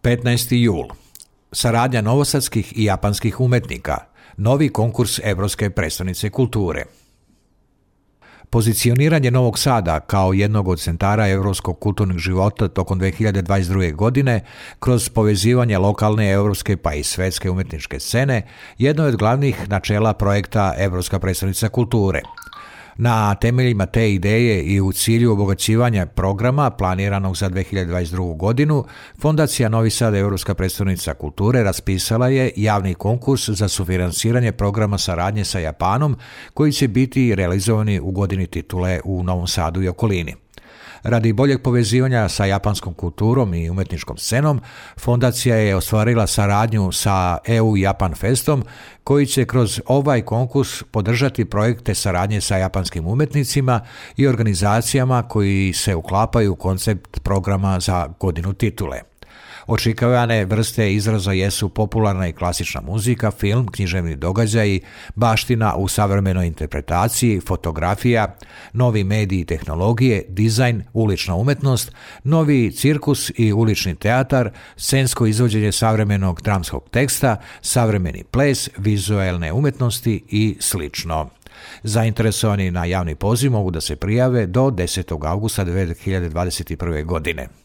15. jul. Saradnja novosadskih i japanskih umetnika. Novi konkurs Evropske prestonice kulture. Pozicioniranje Novog Sada kao jednog od centara evropskog kulturnog života tokom 2022. godine kroz povezivanje lokalne, evropske pa i svetske umetničke scene jedno je od glavnih načela projekta Evropska predstavnica kulture. Na temeljima te ideje i u cilju obogaćivanja programa planiranog za 2022. godinu, Fondacija Novi Sad Evropska predstavnica kulture raspisala je javni konkurs za sufinansiranje programa saradnje sa Japanom koji će biti realizovani u godini titule u Novom Sadu i okolini. Radi boljeg povezivanja sa japanskom kulturom i umetničkom scenom, fondacija je ostvarila saradnju sa EU Japan Festom, koji će kroz ovaj konkurs podržati projekte saradnje sa japanskim umetnicima i organizacijama koji se uklapaju u koncept programa za godinu titule. Očekivane vrste izraza jesu popularna i klasična muzika, film, književni događaji, baština u savremenoj interpretaciji, fotografija, novi mediji i tehnologije, dizajn, ulična umetnost, novi cirkus i ulični teatar, scensko izvođenje savremenog dramskog teksta, savremeni ples, vizuelne umetnosti i slično. Zainteresovani na javni poziv mogu da se prijave do 10. augusta 2021. godine.